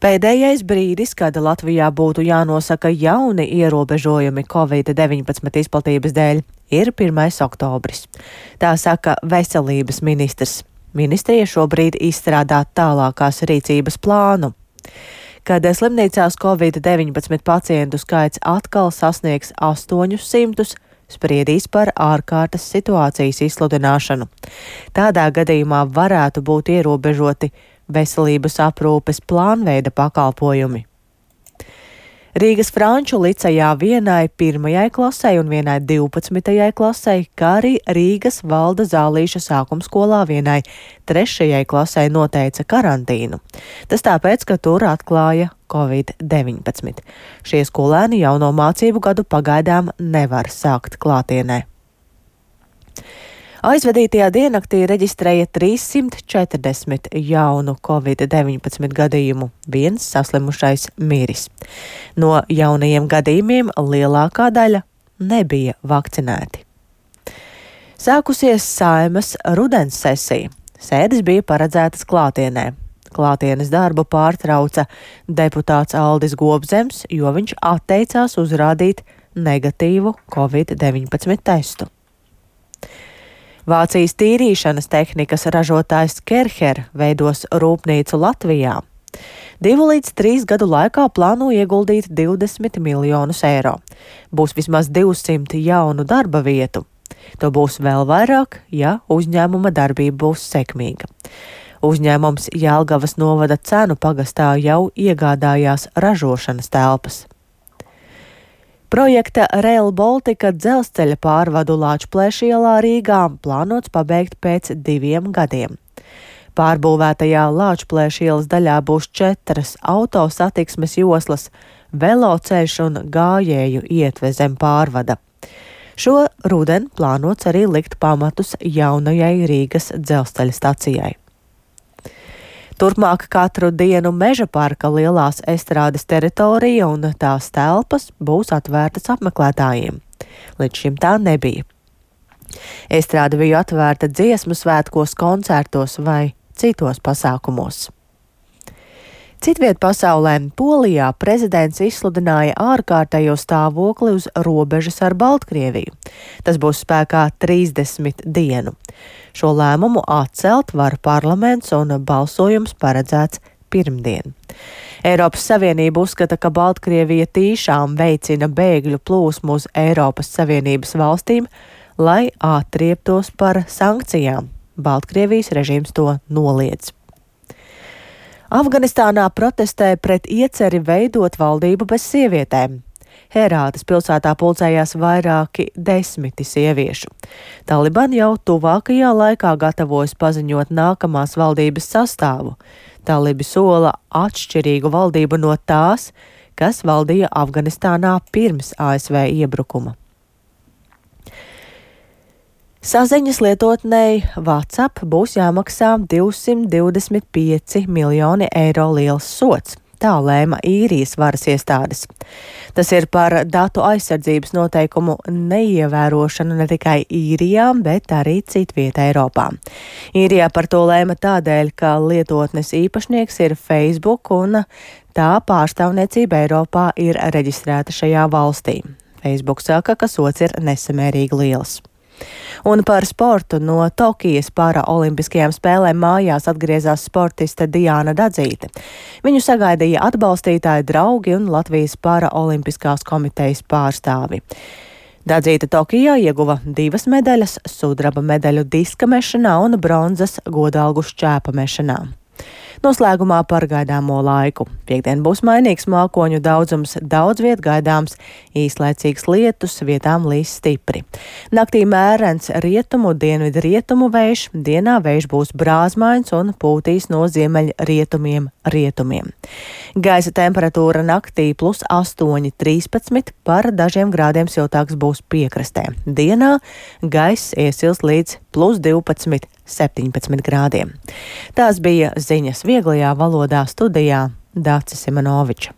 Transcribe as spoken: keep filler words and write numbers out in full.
Pēdējais brīdis, kad Latvijā būtu jānosaka jauni ierobežojumi covid deviņpadsmit izplatības dēļ, ir pirmais oktobris. Tā saka veselības ministrs. Ministrija šobrīd izstrādā tālākās rīcības plānu. Kad slimnīcās covid deviņpadsmit pacientu skaits atkal sasniegs astoņus simtus, spriedīs par ārkārtas situācijas izsludināšanu. Tādā gadījumā varētu būt ierobežoti veselības aprūpes plānveida pakalpojumi. Rīgas Franču licejā vienai pirmajai klasei un vienai divpadsmitajai klasei, kā arī Rīgas Valda Zālīša sākumskolā vienai trešajai klasei noteica karantīnu. Tas tāpēc, ka tur atklāja covid deviņpadsmit. Šie skolēni jauno mācību gadu pagaidām nevar sākt klātienē. Aizvadītajā diennaktī reģistrēja trīssimt četrdesmit jaunu covid deviņpadsmit gadījumu, viens saslimušais miris. No jaunajiem gadījumiem lielākā daļa nebija vakcinēti. Sākusies Saeimas rudens sesija. Sēdes bija paredzētas klātienē. Klātienes darbu pārtrauca deputāts Aldis Gobzems, jo viņš atteicās uzrādīt negatīvu covid deviņpadsmit testu. Vācijas tīrīšanas tehnikas ražotājs Kerher veidos rūpnīcu Latvijā. Divu līdz trīs gadu laikā plāno ieguldīt divdesmit miljonus eiro. Būs vismaz divsimt jaunu darba vietu. To būs vēl vairāk, ja uzņēmuma darbība būs sekmīga. Uzņēmums Jelgavas novada Cenu pagastā jau iegādājās ražošanas telpas. Projekta Rail Baltica dzelzceļa pārvadu Lāčplēša ielā Rīgā plānots pabeigt pēc diviem gadiem. Pārbūvētajā Lāčplēša ielas daļā būs četras autosatiksmes joslas, veloceļš un gājēju ietve zem pārvada. Šo rudeni plānots arī likt pamatus jaunajai Rīgas dzelzceļa stacijai. Turpmāk katru dienu Meža parka lielās estrādes teritorija un tās telpas būs atvērtas apmeklētājiem. Līdz šim tā nebija. Estrāde bija atvērta dziesmu svētkos, koncertos vai citos pasākumos. Citviet pasaulē Polijā prezidents izsludināja ārkārtējo stāvokli uz robežas ar Baltkrieviju. Tas būs spēkā trīsdesmit dienu. Šo lēmumu atcelt var parlaments un balsojums paredzēts pirmdien. Eiropas Savienība uzskata, ka Baltkrievija tīšām veicina bēgļu plūsmu uz Eiropas Savienības valstīm, lai atrieptos par sankcijām. Baltkrievijas režīms to noliedz. Afganistānā protestē pret ieceri veidot valdību bez sievietēm. Herātas pilsētā pulcējās vairāki desmiti sieviešu. Taliban jau tuvākajā laikā gatavojas paziņot nākamās valdības sastāvu. Talibi sola atšķirīgu valdību no tās, kas valdīja Afganistānā pirms A S V iebrukuma. Saziņas lietotnei WhatsApp būs jāmaksā divsimt divdesmit pieci miljoni eiro liels sods. Tā lēma īrijas varas iestādes. Tas ir par datu aizsardzības noteikumu neievērošanu ne tikai īrijā, bet arī citvietā Eiropā. Īrijā par to lēma tādēļ, ka lietotnes īpašnieks ir Facebook un tā pārstāvniecība Eiropā ir reģistrēta šajā valstī. Facebook saka, ka sods ir nesamērīgi liels. Un par sportu no Tokijas paraolimpiskajām spēlēm mājās atgriezās sportiste Diāna Dadzīte. Viņu sagaidīja atbalstītāji, draugi un Latvijas paraolimpiskās komitejas pārstāvi. Dadzīte Tokijā ieguva divas medaļas, sudraba medaļu diska mešanā un bronzas godalgu šķēpa mešanā. Noslēgumā par gaidāmo laiku. Piektdien būs mainīgs mākoņu daudzums, daudz viet gaidāms īslaicīgs lietus, vietām līs stipri. Naktī mērens rietumu, dienvidu rietumu vējš, dienā vējš būs brāzmains un pūtīs no ziemeļrietumiem rietumiem. Gaisa temperatūra naktī plus astoņi trīspadsmit, par dažiem grādiem siltāks būs piekrastē. Dienā gaiss iesils līdz plus divpadsmit septiņpadsmit grādiem. Tās bija ziņas vieglajā valodā, studijā Dācis Simanovičs.